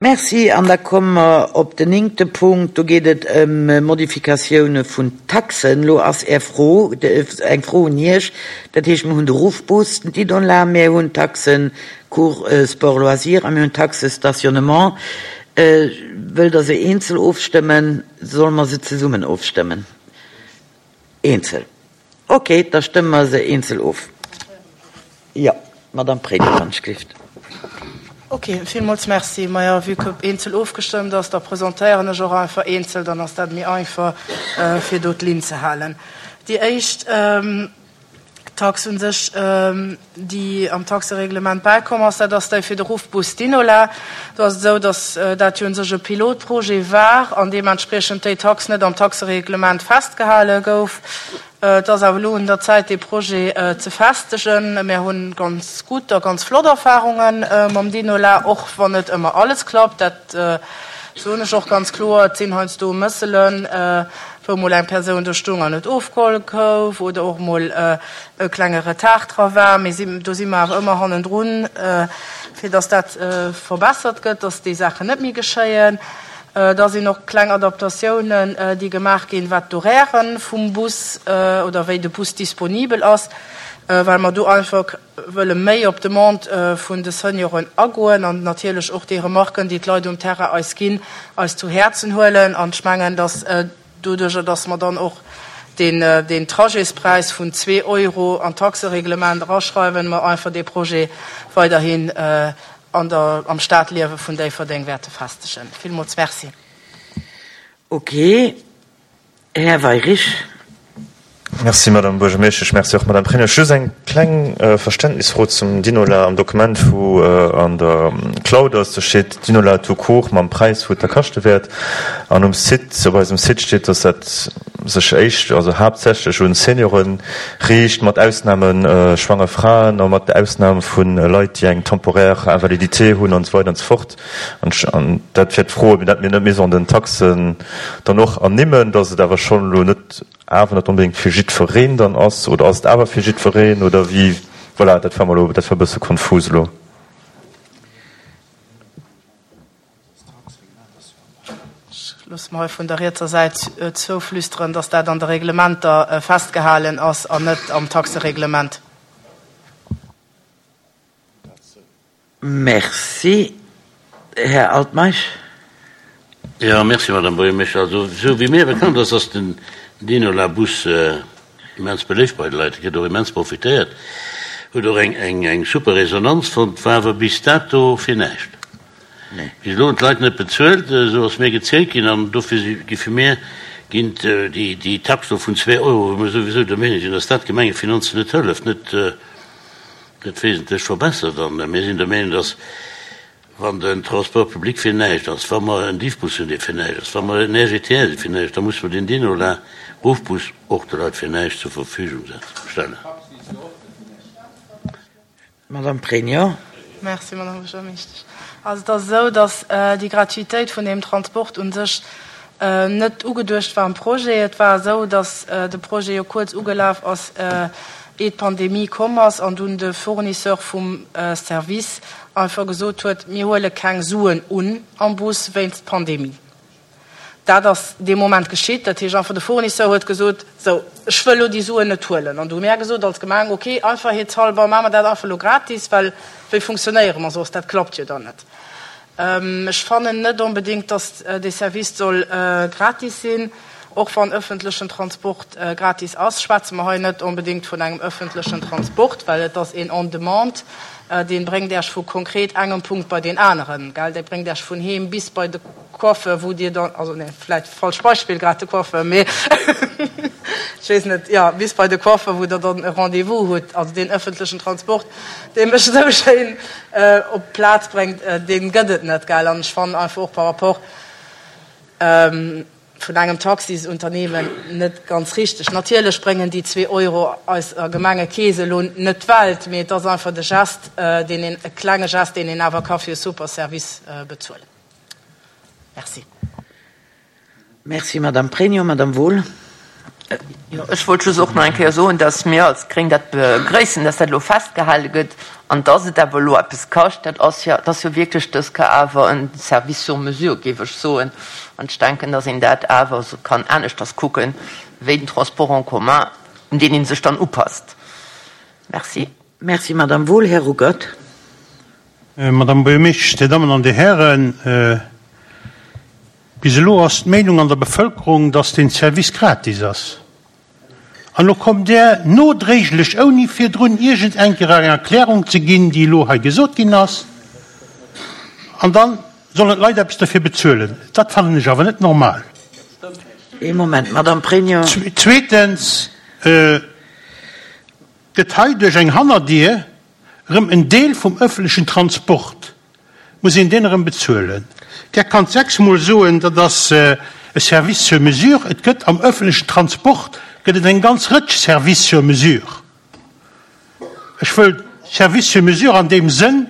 Merci. An da komme mer op den néngte Punkt. Do geet et ëm Modifikatioune vun Taxen. Elo ass Är Fro, eng Fro un Iech. Dat heescht, mir hunn de Ruffbus, den Didonla, mir hunn d'Taxe Cours Sport Loisirs a mir hunn d'Taxe Stationnement. Wëllt Der se eenzel ofstëmmen? Solle mer se zesummen ofstëmmen? Eenzel. Ok, da stëmme mer se eenzel of. Jo, Madamm Pregno, wann ech gelift. Ok, villmools Merci. Majo, vue que eenzel ofgestëmmt ass, da presentéieren ech och einfach eenzel, dann ass dat méi einfach, fir do d'Linn ze halen. Déi éischt Tax u sech, déi am Taxereglement bäikomm ass, dat ass déi fir de Ruffbus Dinola. Do ass et esou, datt dat jo u sech e Pilotprojet war an deementspriechend déi Tax net am Taxereglement festgehale gouf. Et ass awer elo un der Zäit, dee Projet ze festegen. Mir hu ganz gutt a ganz flott Erfahrunge mam Dinola, och wann net ëmmer alles klappt. Dat soen ech och ganz kloer. Et sinn heiansdo Mësselen, wou mol eng Persoun do stoung an net ofgeholl gouf oder och mol e klenge Retard dra war. Mee do si mer awer ëmmer hannendrun, fir dass dat verbessert gëtt, dass déi Saachen net méi geschéien. Da sinn och kleng Adaptatiounen, déi gemaach ginn, wat d'Horairë vum Bus oder wéi de Bus disponibel ass, well mer do einfach wëlle méi op d'Demande vun de Senioren agoen an natierlech och déi Remarken, déi d'Leit um Terrain eis ginn, eis zu Häerzen huelen. An ech mengen, dass doduerjer, dass mer dann och deen Trajetspräis vun zwee Euro an d'Taxereglement eraschreiwen, mer einfach dee Projet weiderhin an der, am Stadliewe vun Déifferdeng wäerte festegen. Villmools Merci. Okay. Här Weyrich. Merci, Madame Buergermeeschtesch. Merci och, Madame Pregno. Just eng kleng Verständnisfro zum Dinola am Dokument, wou an der Cloud ass. Do steet Dinola tout court mam Präis, wou et da kaschte wäert. An um Site, op eisem Site steet, dass dat sech éischt, also haaptsächlech un Seniore riicht, mat Ausnahme schwanger Fraen a mat Ausnam vu Leit, déi eng temporaire Invalidité hunn an esou weider an esou fort. An dat wär d'Fro, ob dat mir net Maison den Taxen dann och ernimmen, dass et awer schonn elo net awer net onbedéngt fir jiddwereen dann ass, oder ass et awer fir jiddwereen, oder wéi? Voilà, dat war mer elo, dat war e bësse konfus elo. Ech loosse mer hei vun der rietser Säit zouflüsteren, dass dat an de Reglementer festgehalen ass an net am Taxereglement. Merci. Här Altmeisch. Jo, merci, Madame Buergermeeschter. Also, esou wéi mir bekannt ass, ass den Dinola-Bus immens beléift bei de Leit. E gëtt och immens profitéiert, huet och eng, eng super Resonanz fonnt, war awer bis dato fir näischt. Bis elo hunn d'Leit net bezuelt, esou ass mir gezielt ginn. An dofir gi fir mir ginn déi, déi Tax do vun zwee Euro, wou mir souwisou der Meenung sinn, dass dat d'Gemengefinanzen net hëlleft, net, net wesentlech verbessert. An mir sinn der Meenung, dass, wann den Transport public fir näischt ass, wa mer en Diffbus hunn, dee fir näischt ass, wa mer en RGTR, dee fir näischt, da musse mer den Dinola-Ruffbus och de Leit fir näischt zur Verfügung stellen. Madame Pregno. Merci, Madame Buergermeeschtesch. Also et ass esou, dass déi Gratuitéit vun deem Transport u sech net ugeduecht war am Projet. Et war esou, dass de Projet jo kuerz ugelaf ass, eeh d'Pandemie komm ass an dunn de Fournisseur vum Service einfach gesot huet, mir huele keng Suen un am Bus wéinst Pandemie. Dat ass dee Moment geschitt. Dat heescht einfach, de Fournisseur huet gesot, sou, ech wëll elo déi Suen net huelen. An du hu mär gesot als Gemeng, okay, einfachheetshalber maache mer dat einfach elo gratis, well wéi funktionéiere mer soss? Dat klappt jo dann net. Ech fannen net onbedéngt, datt dee Service soll gratis sinn. Och wann ëffentlechen Transport gratis ass, schwätze mer hei net onbedéngt vun engem ëffentlechen Transport, well et ass een on demand, dee bréngt Iech vu konkret engem Punkt bei deen aneren, gell, dee bréngt Iech vun heem bis bei de Coiffeur, wou Dir dann, also nee, vläicht falscht Beispill grad de Coiffeur, mee ech weess net, jo, bis bei de Coiffeur, wou Der dann e Rendez-vous hutt. Also deen ëffentlechen Transport, dee mech esou schéin op d'Plaz bréngt, dee gëtt et net, gell. An ech fannen einfach och par rapport vun engem Taxisunternehmen net ganz richteg. Natierlech bréngen déi zwee Euro eiser Gemengekeess elo net d'Welt, mee et ass einfach de Gest, deen een, e klenge Gest, deen een awer ka fir e super Service bezuelen. Merci. Merci, Madame Pregno. Madame Wohl. Jo, ech wollt just och nach eng Kéier soen, dass mir als Gréng dat begrëissen, dass dat elo festgehale gëtt an dass et awer elo eppes kascht. Dat ass jo, dat ass jo wierklech dës Kéier awer e Service sur mesure, géif ech soen. An ech denken, dass een dat awer esou kann aneschters kucken, wéi den Transport en commun, un deen ee sech dann upasst. Merci. Merci, Madame Wohl. Här Ruckert. Madame Buergermeeschtesch, Dir Dammen an Dir Hären, Bis elo ass d'Meenung an der Bevëlkerung, dass deen Service gratis ass. An elo kommt Der nodréiglech, ouni virdrun iergend eng Kéier eng Erklärung ze ginn, déi elo hei gesot ginn ass, an da sollen d'Leit eppes derfir bezuelen. Dat fannen ech awer net normal. Ee Moment, Madame Pregno. Zweetens gëtt hei duerch eng Hannerdier erëm en Deel vum ëffentlechen Transport muss een deen erëm bezuelen. Där kannt sechsmol soen, dat ass e Service sur mesure. Et gëtt am ëffentlechen Transport gëtt et eng ganz Rëtsch Services sur mesure. Ech wëll Service sur mesure an deem Sënn,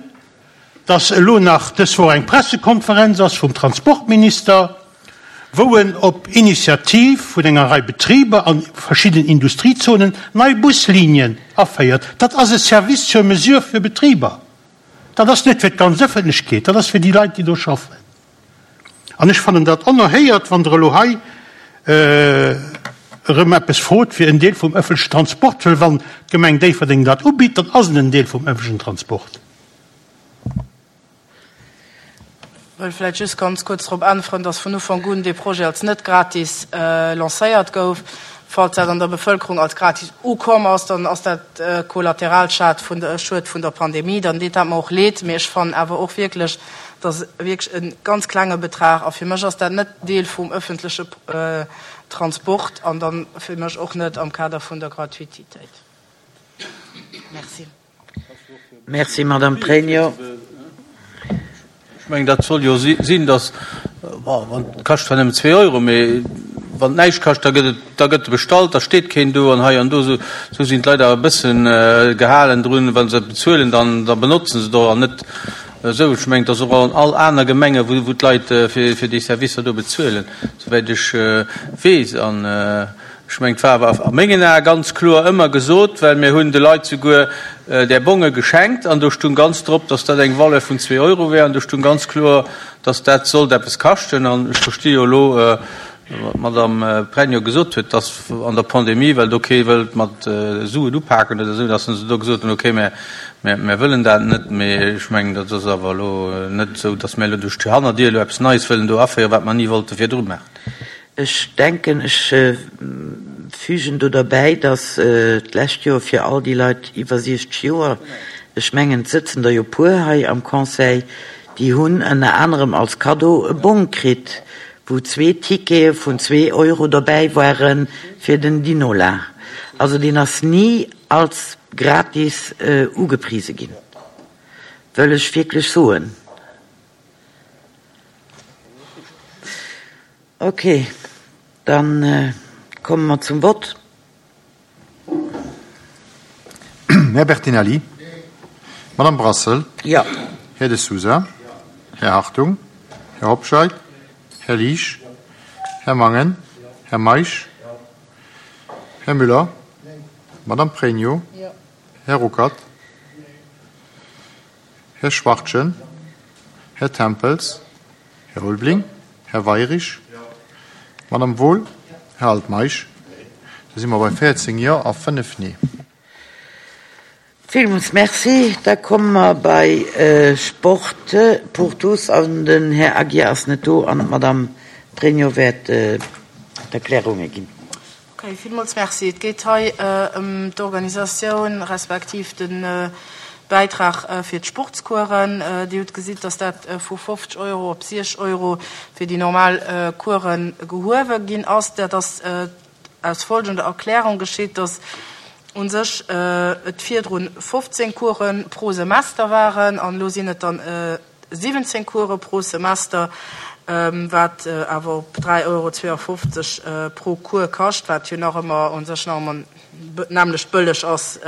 dass elo nach dës Woch eng Pressekonferenz ass vum Transportminister, wou en op Initiativ vun enger Rei Betriber an verschiddenen Industriezonen nei Buslinien aféiert. Dat ass e Service sur mesure fir Betriber. Dat ass net fir d'ganz Ëffentlechkeet, dat ass fir déi Leit, déi do schaffen. An ech fannen dat onerhéiert, wann Der elo hei erëm eppes frot fir en Deel vum ëffentlechen Transport, well wann d'Gemeng Déifferdeng dat ubitt, dann ass et en Deel vum ëffentlechen Transport. Wëll vläicht just ganz kuerz drop äntweren, dass vun Ufank un dee Projet als net gratis lancéiert gouf. Falls dat an der Bevëlkerung als gratis ukomm ass, dann ass dat Kollateralschad vun der Schued vun der Pandemie. Dann deet dat mer och leed. Mee ech fannen awer och wierklech, dass wierklech e ganz klenge Betrag, a fir mech ass dat net Deel vum öffentliche Transport an dann fir mech och net am Kader vun der Gratuitéit. Merci. Merci, Madame Pregno. Ech mengen, dat soll jo sinn, datt, bon, et kascht zwar nëmmen zwee Euro, mee wann et näischt kascht, da gëtt et, da gëtt e bestallt, da steet keen do an hei an do. Esou sinn d'Leit awer e bëssen gehalen drun, wa se et bezuelen, dann da benotzen se et och an net esou. Ech mengen, et ass och an all aner Gemenge wou d'Leit fir déi Servicer do bezuelen, souwäit ech weess. An Ech mengen, et war awer a mengen Ae ganz kloer ëmmer gesot, well mir hunn de Leit souguer där Bonge geschenkt an do stung ganz drop, dass dat eng Valeur vun zwee Euro wär an do stung ganz kloer, dass dat sollt eppes kaschten. An ech versti jo elo, wat d'Madame Pregno gesot huet, dass an der Pandemie, well do kee wëllt mat Suen upaken oder esou, dass se do gesot hunn, okay, mä mär wëllen dat net. Mee ech mengen, dat ass awer elo net esou, dass mär elo duerch d'Hannerdier elo eppes Neies wëllen do aféieren, wat mer ni wollte virdru maachen. Ech denken, ech fügen do derbäi, dass d'lescht Joer fir all déi Leit iwwer 60 Joer, ech mengen, et sëtzen der jo puer hei am Conseil, déi hunn ënner anerem als Kaddo e Bong kritt, wou zwee Tickete vun zwee Euro derbäi ware fir den Dinola. Also deen ass ni als gratis ugeprise ginn, wëll ech wierklech soen. Ok, dann komme mer zum Vott. Här Bertinelli. Madame Brassel. Jo. Här De Sousa. Här Hartung. Här Hobscheit. Här Liesch. Här Mangen. Här Meisch. Här Müller. Madame Pregno. Här Ruckert. Här Schwachtgen. Här Tempels. Här Ulbling. Här Weirich. Madame Wohl. Här Altmeisch. Da si mer bei 14 Jo a 5 Nee. Villmools Merci. Da komme mer bei Sport pour tous an den Här Aguiar ass net do an d'Madame Pregno wäert d'Erklärunge ginn. Ok, villmools Merci. Et geet hei ëm d'Organisatioun respektiv de Bäitrag fir d'Sportscoursen. Dir hutt gesitt, dass dat vu 50 Euro op 60 Euro fir déi normal Course gehuewe ginn ass. Dat ass aus folgender Erklärung geschitt, dass u sech et virdrun 15 Course pro Semester waren an elo sinn et dann 17 Course pro Semester, wat awer op 3,52 Euro pro Cours kascht, wat jo nach ëmmer u sech nach ëmmer nämmlecht bëlleg ass,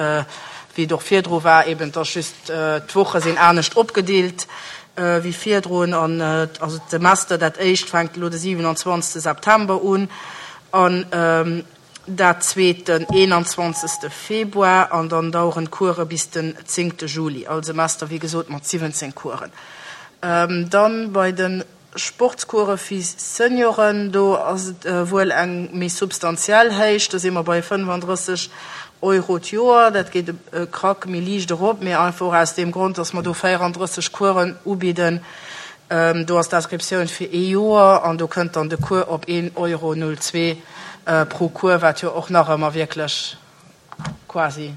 wéi et och virdru war. Eben, et ass just, d'Woche sinn anescht opgedeelt wéi virdrun. An also d'Semester, dat éischt fänkt elo de 27 September un an. Dat zweet den 21. Februar an dann daueren d'Course bis den 10. Juli. All Semester wéi gesot mat 17 Coursen. Dann bei de Sportscourse fir Senioren, do ass et wuel eng méi substantiell Héicht, do si mer bei 35 Euro d'Joer. Dat geet e Krack méi liicht erop, mee einfach och aus deem Grond, dass mer do 34 Coursen ubidden. Do ass d'Inscriptioun fir ee Joer an do kënnt dann de Cours op 1,02 Euro pro Cours, wat jo och nach ëmmer wierklech quasi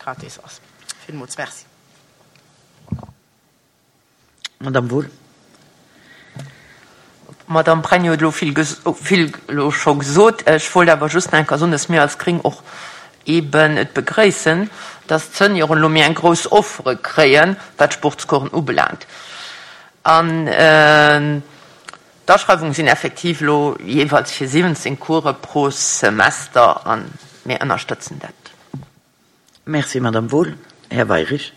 gratis ass. Villmools Merci. Madame Wohl. D'Madame Pregno huet elo vill, vill elo scho gesot. Ech wollt awer just nach eng Kéier soen, dass mir als Gréng och eeben et begréissen, dass d'Senioren elo méi eng grouss Offre kréien, wat d'Sportscoursen ubelaangt. An d'Aschreiwunge sinn effektiv elo jeeweils fir 17 Course pro Semester a mir ënnerstëtzen dat. Merci, Madame Wohl. Här Weirich.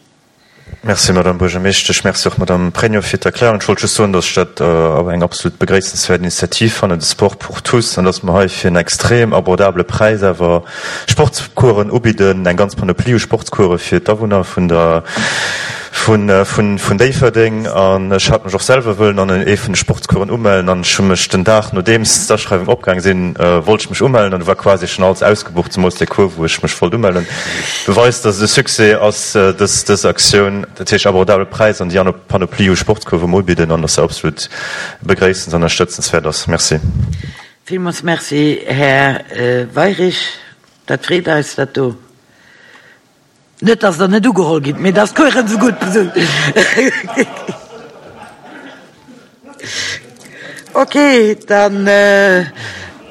Merci, Madame Buergermeeschtesch. Merci och, Madame Pregno, fir d'Erklärung. Ech wollt just soen, dass ech dat awer eng absolut begréissenswäert Initiativ fannen, de Sport pour tous, an dass mer hei fir en extrem abordabele Präis awer Sportscoursen ubidden, eng ganz Panoplie u Sportscourse fir d'Awunner vun der, vun, vun, vun Déifferdeng. An ech hat mech och selwer wëllen an ee vun de Sportscoursen umellen an ech hu mech den Dag, nodeems d'Aschreiwung opgaang sinn, wollt ech mech umellen an du war quasi schonn alles ausgebucht, zemools dee Cours, wou ech mech wollt umellen. Beweist, dass et e Succès ass, dës, dës Aktioun. Dat heescht abordabele Präis an déi aner Panoplie u Sportscourse, wou mer ubidden an dass se absolut begréissens an ënnerstëtzenswäert ass. Merci. Villmools Merci, Här Weirich. Dat freet eis, dat do. Net, dass Der net ugeholl gitt, mee dass d'Coursen esou gutt sinn. Okay, dann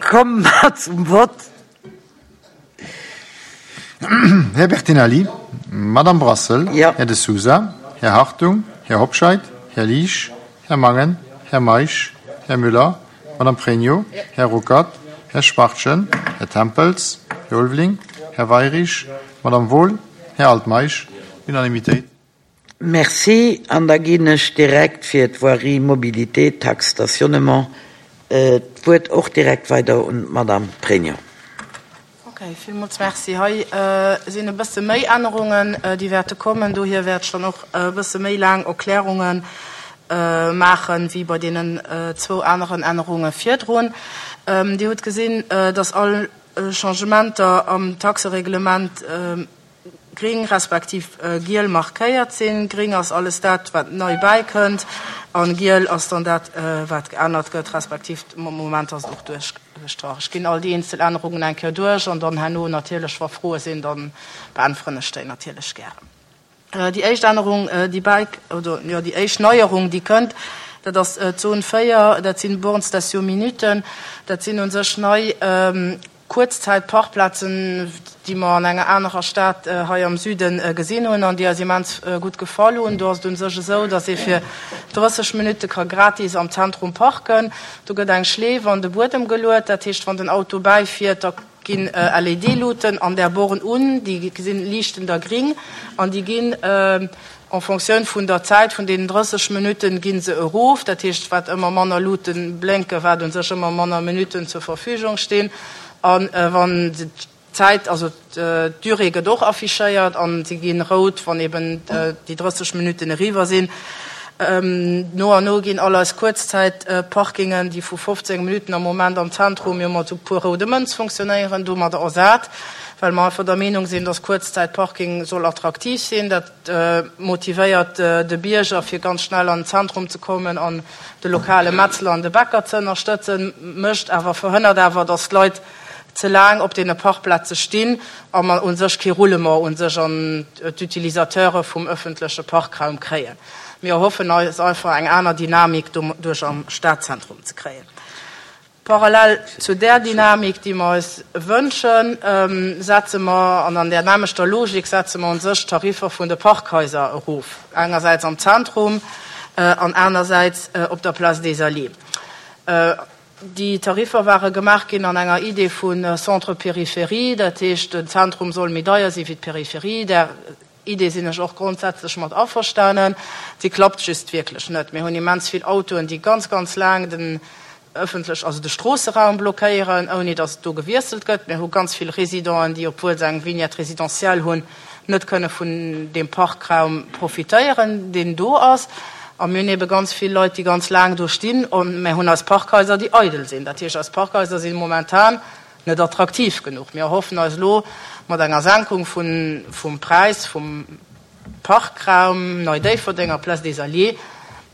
komme mer zum Vott. Här Bertinelli, Madame Brassel, Här De Sousa, Här Hartung, Här Hobscheit, Här Liesch, Här Mangen, Här Meisch, Här Müller, Madame Pregno, Här Ruckert, Här Schwachtgen, Här Tempels, Här Ulveling, Här Weirich, Madame Wohl, Här Altmeisch. Unanimitéit. Merci. An da ginn ech direkt fir d'Voirie, Mobilité, Taxe stationnement d'Wuert och direkt weider un d'Madame Pregno. Ok, villmools Merci. Hei sinn e bësse méi Ännerungen, déi wäerte kommen. Dohier wäert ech dann och e bësse méi laang Erklärunge maachen, wéi bei deenen zwou aneren Ännerunge virdrun. Dir hutt gesinn, dass all Changementer am Taxereglement gring respektiv giel markéiert sinn. Gring ass alles dat, wat nei bäikënnt, a giel ass dann dat, wat geännert gëtt, respektiv am Moment ass et och duerchgestrach. Ech ginn all déi eenzel Ännerungen eng Kéier duerch an dann herno natierlech, wa Froe sinn, da beäntweren ech déi natierlech gären. Déi éischt Ännerung, déi bäi, oder jo, déi éischt Neierung, déi kënnt, dat ass d'Zon 4, dat sinn Bornes Station-Minuten. Dat sinn u sech nei Kuerzzäitparkplazen, déi mer an enger anerer Stad hei am Süde gesinn hunn an déi eis immens gutt gefall hunn. Do ass et u sech esou, datt ee fir 30 Minutte ka gratis am Zentrum parken. Do gëtt eng Schleef an de Buedem geluet. Dat heescht, wann den Auto bäifiert, da ginn LED-Luuten an där Born un, déi sinn, liichten da gring an déi ginn en Fonctioun vun der Zäit vun deenen 30 Minutten gi se erof. Dat heescht, wat ëmmer manner Luute blénken, wat u sech ëmmer manner Minutten zur Verfügung stinn. A wann d'Zäit, also d'Durée gëtt och affichéiert an se gi rout, wann eben déi 30 Minutten eriwwer sinn. No an no ginn all eis Kuerzzäitparkingen, déi vu 15 Minutten am Moment am Zentrum jo mat esou puer roude Mënz funktionéieren, domadder ersat, well mer einfach der Meenung sinn, dass Kuerzzäitparking soll attraktiv sinn. Dat motivéiert de Bierger, fir ganz schnell an den Zentrum ze kommen an de lokale Metzler an de Bäcker ze ënnerstëtzen, mécht awer, verhënnert awer, dass d'Leit ze laang op deene Parkplaze stinn a mer u sech kee Roulement u sech an d'Utilisateure vum öffentleche Parkraum kréien. Mir erhoffen eis einfach eng aner Dynamik doduerch am Stadzentrum ze kréien. Parallel zu där Dynamik, déi mer eis wënschen, setze mer, an an där nämlechter Logik setze mer u sech d'Tariffer vun de Parkhaiser erof, engersäits am Zentrum an anersäits op der Place des Alliés. Déi Tariffer ware gemaach ginn an enger Idee vu Centre-Périphérie, dat heescht, den Zentrum soll méi deier si wéi d'Périphérie. Där Idee sinn ech och grondsätzlech mat averstanen. Si klappt just wierklech net. Mir hunn immens vill Autoen, déi ganz, ganz laang den. ëffentlech, also de Stroosseraum blockéieren, ouni datt do gewiesselt gëtt. Mir hu ganz vill Résidenten, déi, obwuel se eng Vignette résidentielle hunn, net kënne vun deem Parkraum profitéieren, deen do ass. A mir hunn ebe ganz vill Leit, déi ganz laang do stinn. A mir hunn eis Parkhaiser, déi eidel sinn. Dat heescht, eis Parkhaiser si momentan net attraktiv genuch. Mir erhoffen eis elo mat enger Senkung vum Präis vum Parkraum Nei Déifferdeng a Place des Alliés,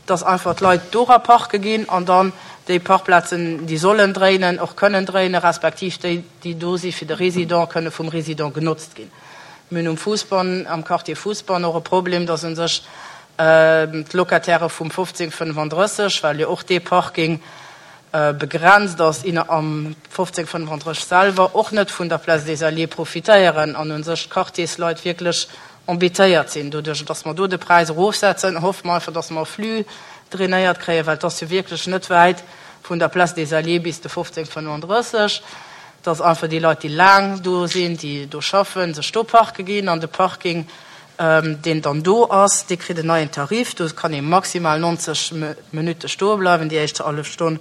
dass einfach d'Leit dora parke ginn an dann déi Parkplazen, déi sollen dréinen, och kënnen dréinen, respektiv déi, déi do si fir de Résident, kënne vum Résident genotzt ginn. Mir hunn um Fousbann, am Quartier Fousbann och e Problem, dass u sech d'Locatairë vum 1535, well jo och dee Parking begrenzt ass, inner am 1535 selwer, och net vun der Place des Alliés profitéieren an u sech d'Quartiersleit wierklech embêtéiert sinn. Doduerch, dass mer do de Präis erofsetzen, hoffe mer einfach, dass mer e Flux drainéiert kréien, well et ass jo wierklech net wäit vun der Place des Alliés bis de 1535, dass einfach déi Leit, déi laang do sinn, déi do schaffen, sech do parke ginn an de Parking, deen dann do ass, dee kritt en neien Tarif. Do kann ee maximal 90 Minutte stoe bleiwen, déi éischt hallef Stonn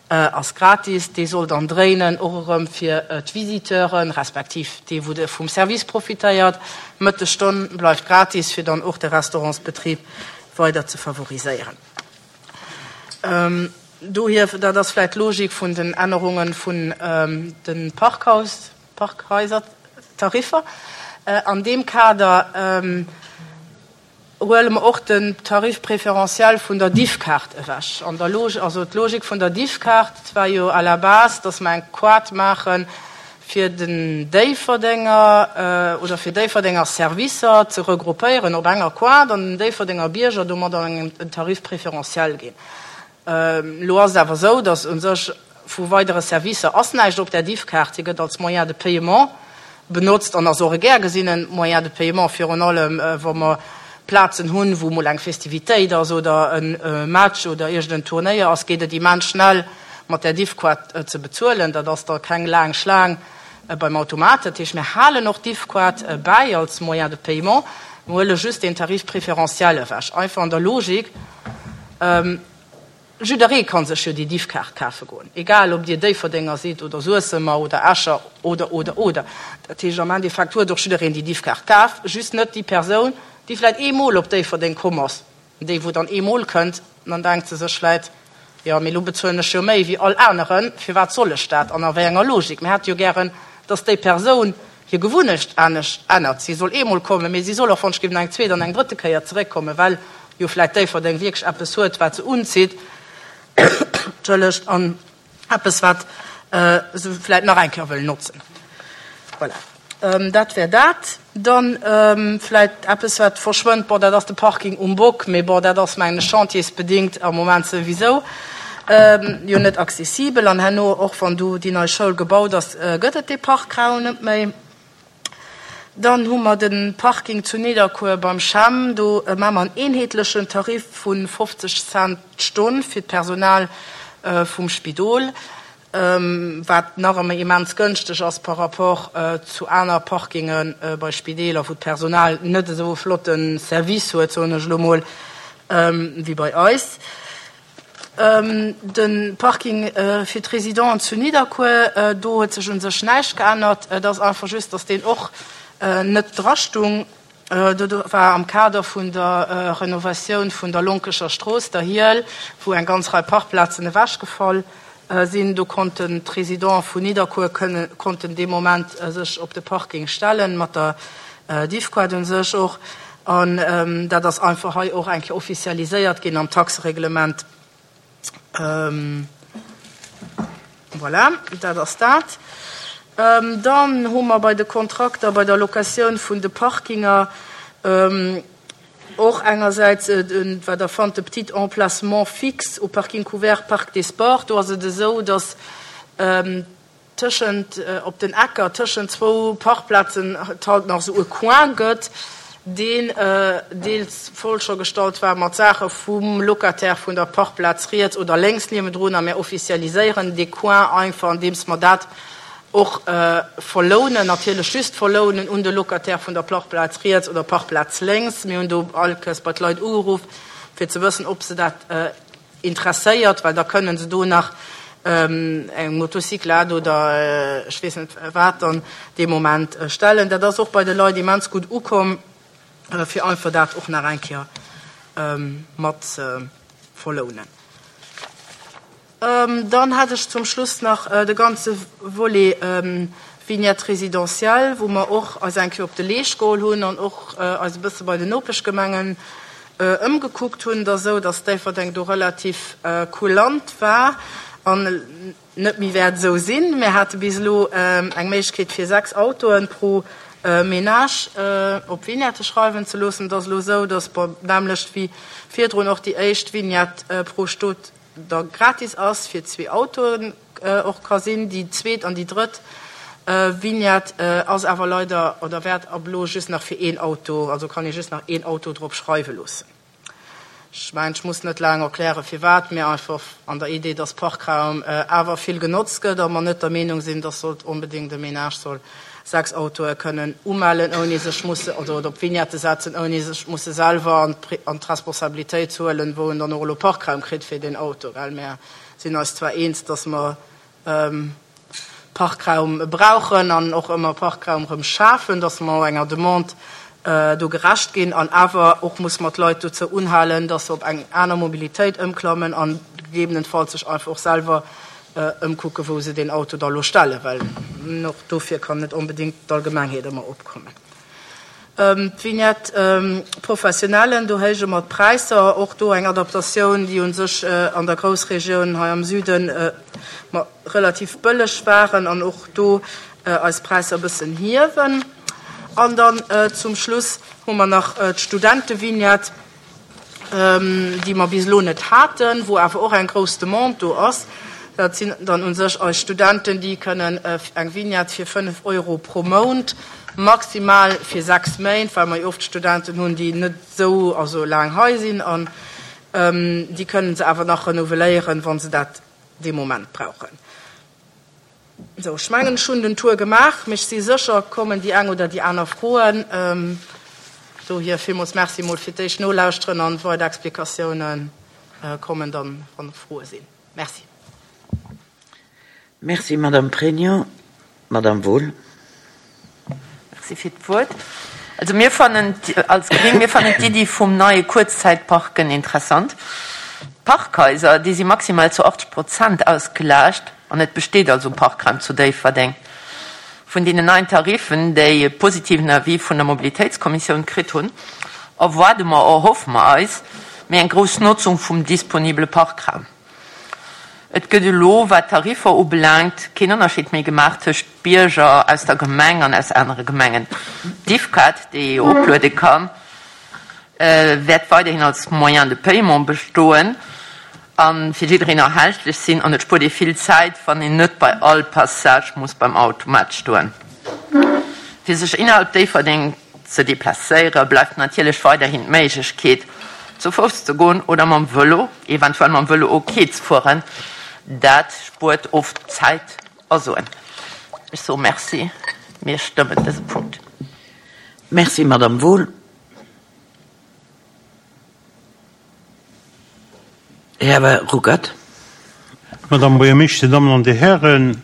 ass gratis. Dee soll dann dréinen, och erëm fir d'Visiteuren, respektiv dee wou de vum Service profitéiert. D'Mëttesstonn bleift gratis, fir dann och de Restaurantsbetrib weider ze favoriséieren. Dohier, dat ass vläicht d'Logik vun den Ännerunge vun de Parkhaus, Parkhaisertariffer. An deem Kader huele mer och den Tarif préférentiel vun der Diffkaart ewech. An der Logik, also d'Logik vun der Diffkaart war jo à la base, dass mer eng Quote maache fir den Déifferdenger oder fir Déifferdenger Servicer ze regroupéieren op enger Quote an den Déifferdenger Bierger domadder en Tarif préférentiel ginn. Elo ass et awer esou, dass u sech vu weidere Servicer ass näischt op där Diffkaart. Si gëtt als Moyen de paiement benotzt an ass och e gär gesinne Moyen de paiement, virun allem wa mer Plazen hunn, wou emol eng Festivitéit ass oder e Match oder iergend en Turnéier ass, geet et immens schnell mat där Diffkaart ze bezuelen. Dat ass da keng laang Schlaang beim Automat. Dat heescht, mir halen och d'Diffkaart bäi als Moyen de paiement, mir huele just deen Tarif préférentiel ewech, einfach an der Logik, Jidderee ka sech jo déi Diffkaart kafe goen, egal ob Dir Déifferdenger sidd oder Suessemer oder Escher oder, oder, oder. Dat heescht, am Endeffekt huet och jiddereen déi Diffkaart kaf, just net déi Persoun, déi vläicht eemol op Déifferdeng komm ass. Déi, wou dann eemol kënnt, dann denkt se sech vläicht, Jo, mee elo bezuelen ech jo méi wéi all aneren, firwat soll ech dat an a wéi enger Logik? Mir hätte jo gären, dass déi Persoun hir Gewunnecht anescht ännert. Si soll eemol kommen, mee si soll och, wann ech géif, eng zweet an eng drëtte Kéier zeréckkommen, well jo vläicht Déifferdeng wierklech eppes huet, wat se unzitt, entschëllegt, an eppes, wat se vläicht nach eng Kéier wëll notzen. Voilà, dat wär dat. Dann vläicht eppes, wat verschwënnt, bon, dat ass de Parking um Bock, mee bon, dat ass, mengen ech, chantiersbedingt am Moment souwisou jo net accessibel. An herno, och wann do déi nei Schoul gebaut ass, gëtt et dee Parkraum net méi. Dann hu mer de Parking zu Nidderkuer beim CHEM. Do maache mer en eenheetlechen Tarif vu 50 Cent d'Stonn fir d'Personal vum Spidol, wat nach ëmmer immens gënschteg ass par rapport zu aner Parkinge bei Spideeler, wou d'Personal net esou e flotte Service huet, soen ech elo mol, wéi bei eis. De Parking fir d'Residenten zu Nidderkuer, do huet sech u sech näischt geännert. Et ass einfach just, datt deen och net drastung. Do war am Kader vun der Renovatioun vun der Lonkecher Strooss, der Hiel, wou eng ganz Rei Parkplazen ewechgefall sinn, do konnten d'Residenten vun Nidderkuer konnten dee Moment sech op de Parking stellen, mat der Diffquad u sech och. An dat ass einfach hei och eng Kéier officialiséiert ginn am Taxereglement. Voilà, dat ass dat. Dann hu mer bei de Kontrakter, bei der Locatioun vun de Parkinger och engersäits, wat Der fannt, de petit emplacement fixe au parking couvert Parc des Sports. Do ass et esou, dass tëschent, op den Ecker tëschent zwou Parkplazen et halt nach esou e Coin gëtt, deen deels voll scho gestallt war mat Saache vum Locataire vun der Parkplaz riets oder lénks niewendrun. A mir officialiséieren dee Coin einfach, andeems mer dat och verlounen, natierlech just verlounen un de Locataire vun der Parkplaz riets oder Parkplaz lénks. Mir hunn do all Kéiers bei d'Leit ugeruff, fir ze wëssen, ob se dat interesséiert, well da kënnen se do nach. Eng Motocyclette oder ech weess net wat dann dee Moment stellen. Dat ass och bei de Leit immens gutt ukomm, fir einfach dat och nach eng Kéier mat ze verlounen. Dann hätt ech zum Schluss nach de ganze Volet Vignette résidentielle, wou mer och eis eng Kéier op de Leescht geholl hunn an och eis e bësse bei den Nopeschgemengen ëmgekuckt hunn. Et ass esou, datt Déifferdeng do relativ kulant war an net méi wäert esou sinn. Mir hate bis elo eng Méiglechkeet fir 6 Autoe pro Ménage op Vignette schreiwen ze loossen. Et ass elo esou, datt, bon, d'nämmlecht wéi virdrun och déi éischt Vignette pro Stot da gratis ass, fir zwee Autoen och ka sinn. Déi zweet an déi drëtt Vignette ass awer leider oder wäert ab elo just nach fir een Auto, also kann ee just nach een Auto drop schreiwe loossen. Ech mengen, ech muss net laang erklären, firwat, mee einfach an der Idee, dass Parkraum awer vill genotzt gëtt a mer net der Meenung sinn, dass sollt onbedéngt e Ménage soll 6 Autoe kënnen umellen, ouni sech musse, oder op Vignette setzen, ouni sech musse selwer an d'Responsabilitéit ze huelen, wou en dann och elo Parkraum kritt fir deen Auto. Well mir sinn eis zwar eens, dass mer Parkraum brauchen an och ëmmer Parkraum erëm schafen, dass mer och enger Demande do gerecht ginn an awer och muss mer d'Leit dozou unhalen, dass se op eng aner Mobilitéit ëmklammen a gegebenenfalls sech einfach och selwer ëmkucken, wou se deen Auto da lo stellen, well och dofir kann net onbedéngt d'Allgemengheet ëmmer opkommen. D'Vignette professionnelle, do héije mer d'Präisser, och do eng Adaptatioun, déi u sech an der Groussregioun hei am Süden relativ bëlleg waren an och do eis Präisser e bëssen hiewen. An dann zum Schluss hu mer nach d'Studentevignette. déi mer bis elo net haten, wou awer och eng grouss Demande do ass. Dat sinn dann u sech eis Studenten, déi kënnen eng Vignette fir 5 Euro pro Mount, maximal fir 6 Méint, well mer jo oft Studenten hunn, déi net esou, also laang hei sinn, an déi kënnen se awer nach renouveléieren, wa se dat dee Moment brauchen. Sou, ech mengen, ech hunn den Tour gemaach, mee ech si sécher, et kommen déi eng oder déi aner Froen. Dohier villmools Merci emol fir d'éischt Nolauschteren an weider Explikatioune kommen dann, wann Froe sinn. Merci. Merci, Madame Pregno. Madame Wohl. Merci fir d'Wuert. Also mir fannen als Gréng, mir fannen d'Iddi vum neie Kuerzzäitparken interessant. D'Parkhaiser, déi si maximal zu 80 Prozent ausgelaascht an et besteet also Parkraum zu Déifferdeng. Vun deenen neien Tariffen, déi e positiven Avis vun der Mobilitéitskommissioun kritt hunn, erwaarde mer, erhoffe mer eis méi eng grouss Notzung vum disponibele Parkraum. Et gëtt elo, wat d'Tariffer ubelaangt, keen Ënnerscheed méi gemaach tëscht Bierger aus der Gemeng an aus anere Gemengen. D'Diffcard, déi ee jo opluede kann, wäert weiderhin als Moyen de paiement bestoen a fir jiddereen erhältlech sinn. An et spuert ee vill Zäit, wann een net bei all Passage muss beim Automat stoen. Fir sech innerhalb Déifferdeng ze deplacéiere bleift natierlech weiderhin d'Méiglechkeet, zu Fouss ze goen oder mam Vëlo, eventuell mam Vëlo ok ze fueren. Dat spuert oft Zäit a Suen. Ech soe Merci, mir stëmmen dëse Punkt. Merci, Madame Wohl. Här Ruckert. Madame Buergermeeschter, Dir Dammen an Dir Hären,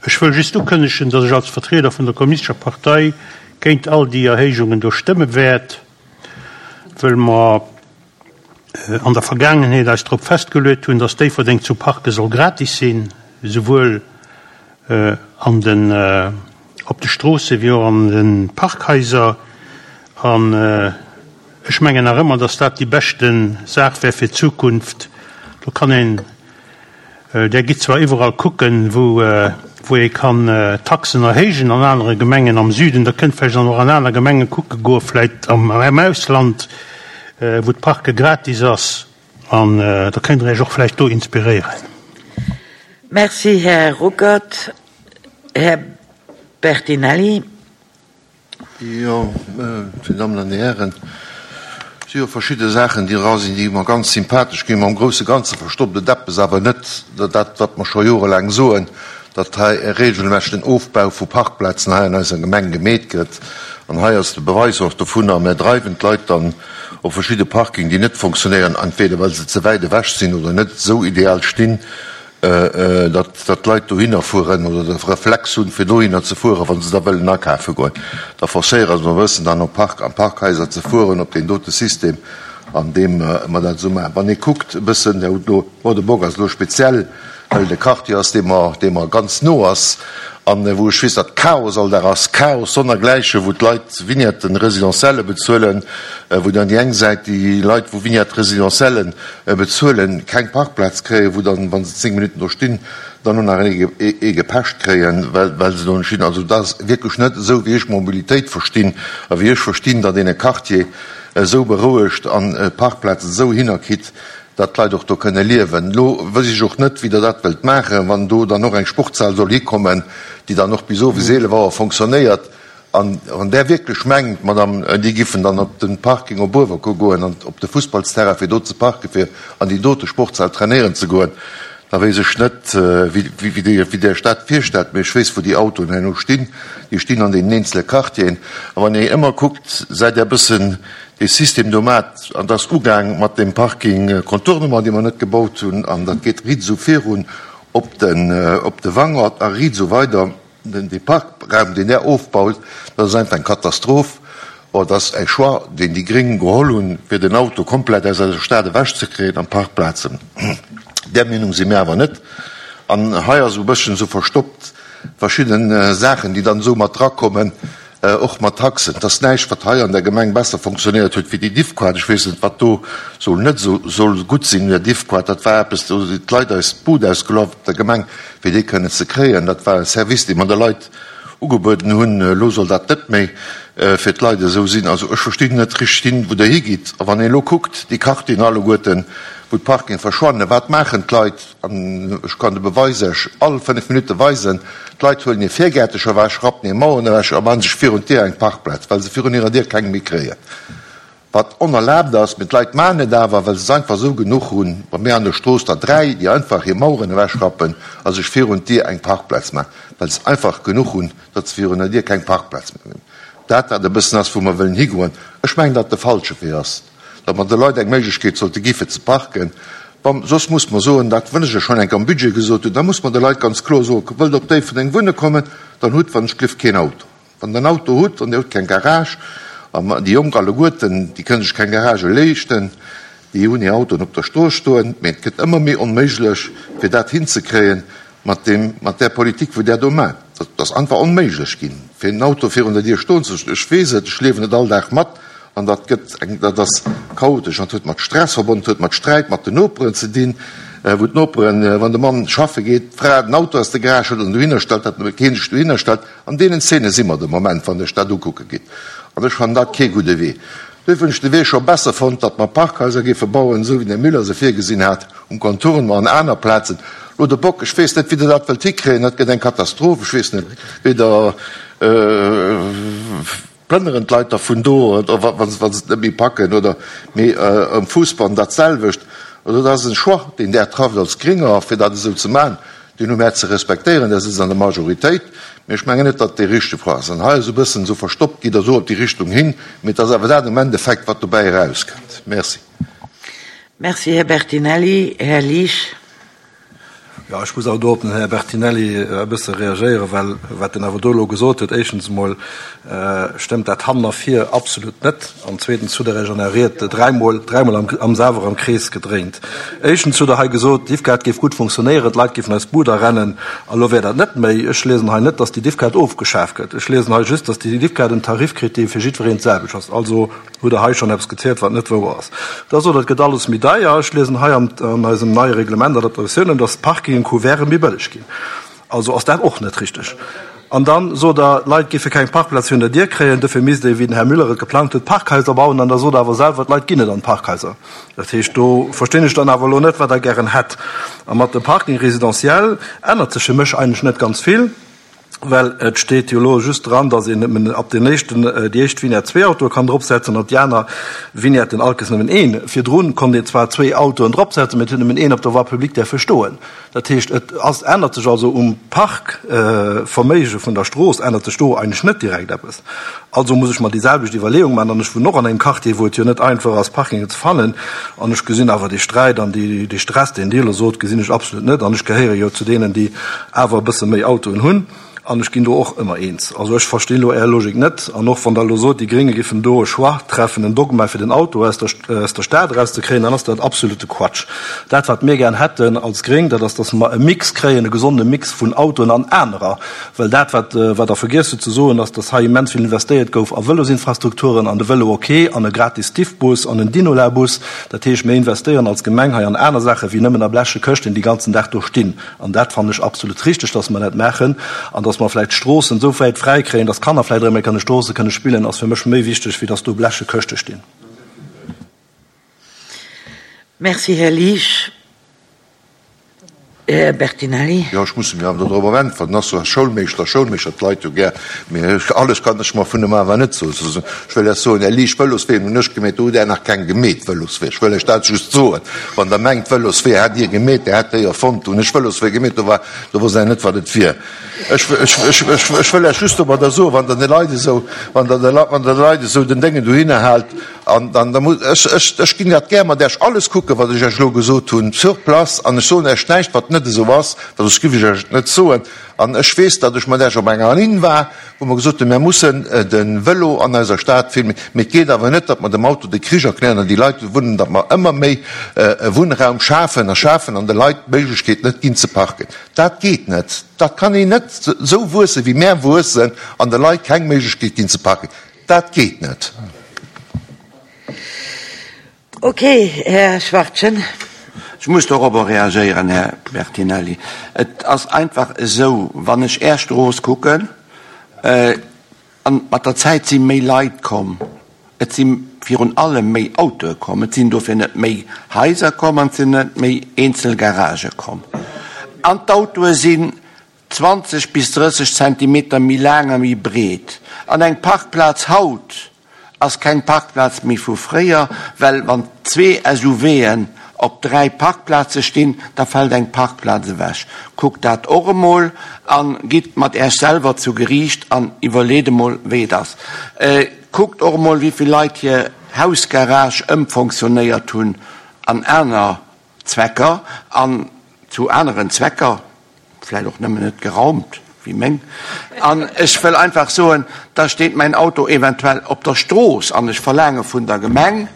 ech wëll just ukënnegen, datt ech als Vertrieder vun der Kommunistescher Partei géint all déi Erhéijungen do stëmme wäert, wëll mer an der Vergaangenheet eis drop festgeluet hunn, datt Déifferdeng zu parke soll gratis sinn, esouwuel an den, op de Stroosse wéi och an de Parkhaiser. An ech mengen nach ëmmer, dass dat déi beschte Saach wär fir d'Zukunft. Do kann een, Der gitt zwar iwwerall kucken, wou, wou ee kann Taxen erhéijen an anere Gemengen am Süden, Der kënnt vläicht dann och an aner Gemenge kucke goen, vläicht am Ausland, wou d'Parke gratis ass. An da kënnt Der Iech och vläicht do inspiréieren. Merci, Här Ruckert. Här Bertinelli. Jo, Dir Dammen an Dir Hären, et si jo verschidde Saachen, déi era sinn, déi mer ganz sympathesch ginn. Mä am grousse Ganze verstoppt et eppes awer net, dat, wat mer scho jorelaang soen, datt hei e regelmässegen Ofbau vu Parkplazen hei an eiser Gemeng gemeet gëtt. An hei ass de Beweis och dovunner. Mer dreiwen d'Leit dann. op verschidde Parking, déi net fonctionnéieren, entweder well se ze wäit ewech sinn oder net esou ideal stinn, datt d'Leit dohinner fueren oder de Reflex hunn, fir dohinner ze fueren, wa se da wëllen akafe goen. Da forcéiere se e bëssen dann op Park an Parkhaiser ze fueren, op deen dote System, an deem mer dat esou maachen. Wann ee kuckt e bëssen, Här Huttno, bon, de Bock ass elo speziell, well et e Quartier ass, dee mer, dee mer ganz no ass an wou ech weess, datt Chaos all Dag ass, Chaos sonnergläiche, wou d'Leit Vignetten résidentielle bezuelen, wou dann déi eng Säit déi Leit, wou Vignette résidentielle bezuelen, keng Parkplaz kréien, wou dann, wa se 10 Minutten do stinn, dann och nach ee gepecht kréien, well, well se do net stinn. Also dat ass wierklech net esou, wéi ech Mobilitéit verstinn a wéi ech verstinn, datt een e Quartier esou berouegt an d'Parkplazen esou hinnerkritt, datt d'Leit och do kënne liewen. Elo wëss ech och net, wéi Der dat wëllt maachen, wann do dann och eng Sportshal soll hikommen, déi dann och bis owes 11 Auer fonctionnéiert. An wann Der wierklech mengt, Madame, déi giffen dann op de Parking op Uewerkuer goen an op de Fussballsterrain, fir do ze parken, fir an déi dote Sportshal trainéieren ze goen, da weess ech net, wéi Dir Iech dat virstellt. Mee ech weess, wou déi Autoen herno stinn. Déi stinn an deenen eenzele Quartieren. A wann ee ëmmer kuckt, säit Der e bëssen dee System do mat, an et ass ugaang mat deem Parking Contournement, dee mer net gebaut hunn, an dat geet riit esou virun op den, op de Wangert a riit esou weider. Den, dee Parkraum, deen där ofbaut, dat ass einfach eng Katastroph. Or, et ass e Choix, deen déi Gréng geholl hunn, fir den Auto komplett aus eiser Stad ewechzekréien an d'Parkplazen. Där Meenung si mir awer net. An hei ass esou e bësschen esou verstoppt verschidde Saachen, déi dann esou mat drakommen, Och mat Taxen. Et ass näischt, wat hei an der Gemeng besser fonctionnéiert huet wéi déi Diffquart. Ech weess net, wat do soll net esou soll gutt sinn un der Diffquart. Dat war eppes, do sinn d'Leit eis d'Bud ausgelaf op der Gemeng, fir déi kënnen ze kréien. Dat war e Service, dee mer de Leit ugebueden hunn. Elo soll dat net méi fir d'Leit esou sinn. Also ech verstinn net richteg hin, wou Der higitt. A wann een elo kuckt, déi Quartieren alleguerten, wou d'Parkinge verschwannen, wat maachen d'Leit? An ech kann de Beweis Iech all 5 Minutte weisen, D'Leit huelen hir Virgäertecher ewech, rappen hir Maueren ewech a maachen sech virun d'Dier eng Parkplaz, well se virun hirer Dier keng méi kréien. Wat onerlaabt ass, mee d'Leit maachen et awer, well se es einfach esou genuch hunn. Bei mir an der Strooss der 3, déi einfach hir Maueren ewechrappen a sech virun d'Dier eng Parkplaz maachen, well se einfach genuch hunn, datt se virun der Dier keng Parkplaz méi hunn. Dat, wat e bëssen ass, wou mer wëllen higoen. Ech mengen, datt de falsche Wee ass. datt mer de Leit eng Méiglechkeet sollte gi fir ze parken, wa soss muss mer soen, dat wëll ech jo schonn enk am Budget gesot hunn, da muss mer de Leit ganz kloer soen, wëllt op Déifferdeng wunne kommen, dann hutt wann ech glift keen Auto. Wann Der en Auto hutt an Dir hutt keng Garage, a déi Jonk alleguerten, déi kënne sech keng Garagë leeschten, déi hunn hir Autoen op der Strooss stoen, mä et gëtt ëmmer méi onméiglech fir dat hinzekréien mat deem, mat där Politik wou Der do maacht. Dat ass einfach onméiglech ginn, fir en Auto virun der Dier stoen ze loossen. Ech weess et, ech liewen et all Dag mat. An dat gëtt eng, dat ass chaotesch an huet mat Stress verbonnen, huet mat Sträit mat den Noperen ze dinn, wou d'Noperen, wann de Mann schaffe geet, d'Fra den Auto aus der Garage hëlt an dohinner stellt, datt keen sech dohinner stellt. An deenen Zeene si mer de Moment, wann Der iech dat ukucke gitt. An ech fannen dat kee gudde Wee. Duerfir hunn ech de Wee scho besser fonnt, datt mer Parkhaiser géife bauen, esou wéi den Här Müller se virgesinn hat, um Contournement an aner Plazen. Lo de Bock, ech weess net, wéi Der dat wëllt hikréien, dat gëtt eng Katastroph. Ech weess net, wéi Der. Plënneren d'Leit da vun do, oder wa se et net méi packen, oder mee um Fuussbann dat selwecht. Also dat ass en Choix, deen Der trafft als Gringer, fir dat esou ze maachen. Deen hu mär ze respektéieren, Der sëtzt an der Majoritéit. Mee ech mengen net, datt et dee richtege Choix ass. An hei esou e bëssen esou verstoppt gitt Der esou op déi Richtung hin, mee et ass awer dat am Endeffekt, wat dobäi erauskënnt. Merci. Merci, Här Bertinelli. Här Liesch. Jo, ech muss awer do op den Här Bertinelli e bësse reagéieren, well wat en awer do elo gesot huet, éischtens emol stëmmt dat hannen a vir absolut net an zweetens hutt Der Iech an Ärer Ried dräimol, dräimol am, am selwer am Krees gedréint. Éischtens hutt Der hei gesot, d'Diffkaart géif gutt funktionéieren, d'Leit géifen eis d'Bud arennen a lo wär dat net méi. Ech liesen hei net, datt déi Diffkaart ofgeschaf gëtt. Ech liesen hei just, datt déi Diffkaart en Tarif kritt, dee fir jiddwereen d'selwecht ass. Also Hutt Der hei schonn eppes gezielt, wat net wouer ass? Da sot Der, et gëtt alles méi deier. Ech liesen hei an eisem neie Reglement, Adaptatiounen, dass d'Parkingen couverten méi bëlleg ginn. Also ass dat och net richteg. An da sot Der, d'Leit géife keng Parkplaz virun der Dier kréien, dofir misst ee, wéi den Här Müller et geplangt huet, Parkhaiser bauen. An da sot Der awer selwer, d'Leit ginn net an d'Parkhaiser. Dat heescht, do verstinn ech dann awer elo net, wat Der gären hätt. A mat dem Parking résidentiel ännert sech fir mech eigentlech net ganz vill. Well et steet jo elo just dran, datt een nëmmen ab den éischten, déi éischt Vignette zwee Autoe kann dropsetzen an op déi aner Vignetten allkes nëmmen een. Virdrun konnt een zwar zwee Autoen dropsetzen, mä et huet nëmmen een op der Voie publique däerfe stoen. Dat heescht, et ass, ännert sech also um Parkverméige vun der Strooss ännert sech do eigentlech net direkt eppes. Also muss ech mer déi selwecht Iwwerleeung maachen. An ech wunnen och an engem Quartier, wou et jo net einfach ass, Parkingen ze fannen. An ech gesinn awer dee Sträit an dee Stress, deen Dir elo sot, gesinn ech absolut net. An ech gehéiere jo zu deenen, déi awer e bësse méi Autoen hunn. An ech ginn do och ëmmer eens. Also ech verstinn elo Är Logik net. An och wann Der elo sot, déi Grénge géifen do e Choix treffen, en Dogma, fir den Auto aus der aus der Stad erauszekréien, dann ass dat absolute Quatsch. Dat, wat mir gär hätten als Gréng, dat ass, dass mer e Mix kréien, e gesonde Mix vun Autoen an anerer. Well dat, wat wat Der vergiess hutt ze soen, ass, dass hei immens vill investéiert gouf a Vëlosinfrastrukturen, an de Vëlo ok, an e gratis Diffbus, an en Dinola-Bus. Dat heescht, mir investéieren als Gemeng hei an aner Saachen, wéi nëmmen a bleche Këschten, déi ganzen Dag do stinn. An dat fannen ech absolut richteg, dass mer dat maachen. An dass mer vläicht d'Stroossen esou wäit fräi kréien, dass d'Kanner vläicht erëm eng Kéier an de Stroosse kënne spillen, ass fir mech méi wichteg, wéi dass do bleche Këschte stinn. Merci, Här Liesch. Här Bertinelli. Jo, ech muss mir awer dodrop äntweren. Ass jo Schoulmeeschter, Schoulmeeschter, d'Leit jo gär, mee alles kann ech mer vun em awer net soen. Ech wëll lech soen, Här Liesch, Vëlosween hunn ech gemeet, do hutt Där nach keng gemeet, Vëloswee. Ech wëll lech dat just soen. Wann Der mengt, Vëloswee hätt Dir gemeet, Där hätt déi erfonnt, do hunn ech Vëloswee gemeet, do war, do wosst Der net, wat et wier. Ech, ech, ech, ech, ech wëll lech just domadder soen, wann Der de Leit esou, wann Der de, wann Der de Leit esou den Déngen dohinner haalt, An dann, da muss, ech, ech, ech ginn dat gär mat Äech alles kucken, wat ech Äech elo gesot hunn, sur place, an ech soen Äech näischt, wat net esou ass, well soss giff ech Äech et net soen. An ech weess, datt ech mat Äech op enger Linn war, wou mer gesot hunn, Mir mussen de Vëlo an eiser Stad vill méi, mee et geet awer net, datt mer dem Auto de Krich erklären an déi Leit, déi do wunnen, datt mer ëmmer méi Wunnraum schafen a schafen an de Leit d'Méiglechkeet net ginn ze parken. Dat geet net. Dat kann een net esou wuessen, wéi mär wuessen, an de Leit keng Méiglechkeet ginn ze parken. Dat geet net. Ok, Här Schwachtgen. Ech muss dorobber reagéieren, Här Bertinelli. Et ass einfach esou, wann ech Är Strooss kucken, an mat der Zäit si méi Leit komm, et si virun allem méi Autoe komm, et sinn dofir net méi Haiser komm an et sinn net méi eenzel Garagë komm. An d'Autoe sinn 20 bis 30 Zentimeter méi laang a méi breet. An eng Parkplaz haut ass keng Parkplaz méi vu fréier, well wann zwee SUVen op dräi Parkplaze stinn, da fält eng Parkplaz ewech. Kuckt dat och emol a gitt mat Äech selwer zu Geriicht an iwwerleet emol, wéi et ass. Kuckt och emol, wéi vill Leit hir Hausgarage ëmfonctionnéiert hunn an aner Zwecker an zu aneren Zwecker, vläit och nëmmen net geraumt wéi meng. An ech wëll einfach soen, da steet mäin Auto eventuell op der Strooss an ech verlaange vun der Gemeng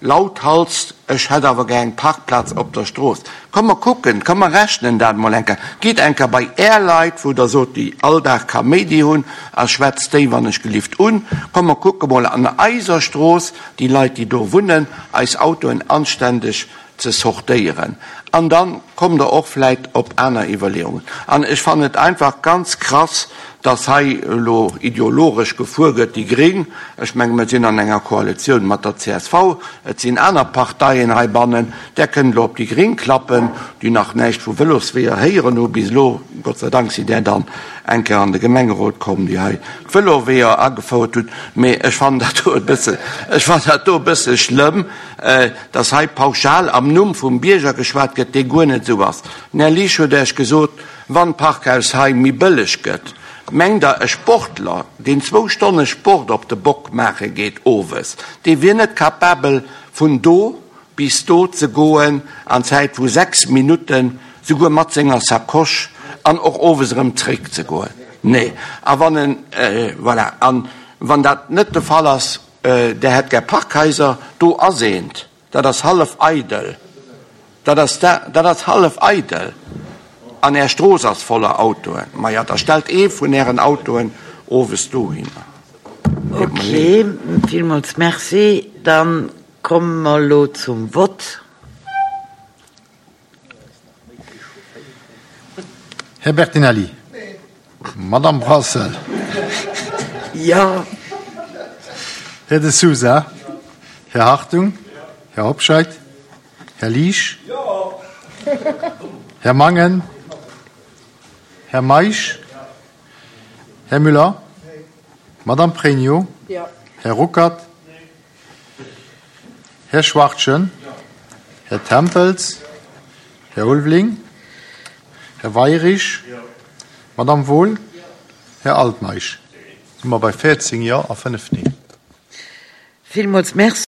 lauthals, ech hätt awer gär eng Parkplaz op der Strooss. Komm mer kucken, komm mer rechnen dat emol eng Kéier. Gitt eng Kéier bei Är Leit, wou Der sot, déi all Dag Kaméidi hunn, a schwätzt déi wann ech gelift un. Komm mer kucke mol an eiser Strooss, déi Leit, déi do wunnen, eis Autoen anständeg ze sortéieren. An da kommt Der och vläit op aner Iwwerleeungen. An ech fannen et einfach ganz krass, dass hei elo ideologesch gefuer gëtt, déi Gréng, ech menge mir sinn an enger Koalitioun mat der csv, et sinn aner Parteien heibannen, där kënnt elo op déi Gréng klappen, déi nach näischt vu Vëlosweeër héieren hu bis elo, Gott sei Dank sinn där dann eng Kéier an de Gemengerot komm, déi hei d'Vëloweeër agefouert hunn. Mee ech fannen dat do e bësse, ech fannen dat do e bësse schlëmm, dass hei pauschal am Numm vum Bierger geschwat gëtt, dee guer net esou ass. Den Här Liesch huet Iech gesot, wann d'Parkhaus hei méi bëlleg gëtt, mengt Der, e Sportler, deen zwou Stonne Sport op de Bock maache geet owes, dee wier net capabel vun do bis do ze goen an Zäit vu 6 Minutten, souguer mat senger Sacoche, an och owes erëm zréck ze goen? Nee. A wann en, voilà, an wann dat net de Fall ass, Der hätt gär Parkhaiser, do ass eent, dat ass hallef eidel, dat ass dat ass hallef eidel an Är Strooss ass voller Autoen. Maja, da stellt ee vun Ären Autoen owes dohinner. Deet mer leed. Ok, villmools Merci. Da komme mer elo zum Vott. Här Bertinelli. Madame Brassel. Jo. Här De Sousa. Här Hartung. Här Hobscheit. Här Liesch. Här Mangen. Här Meisch. Här Müller? Madame Pregno? Här Ruckert? Här Schwachtgen? Här Tempels? Här Ulveling? Här Weirich? Madame Wohl? Här Altmeisch? Si mer bei 14 Jo a 5 Nee. Villmools Merci.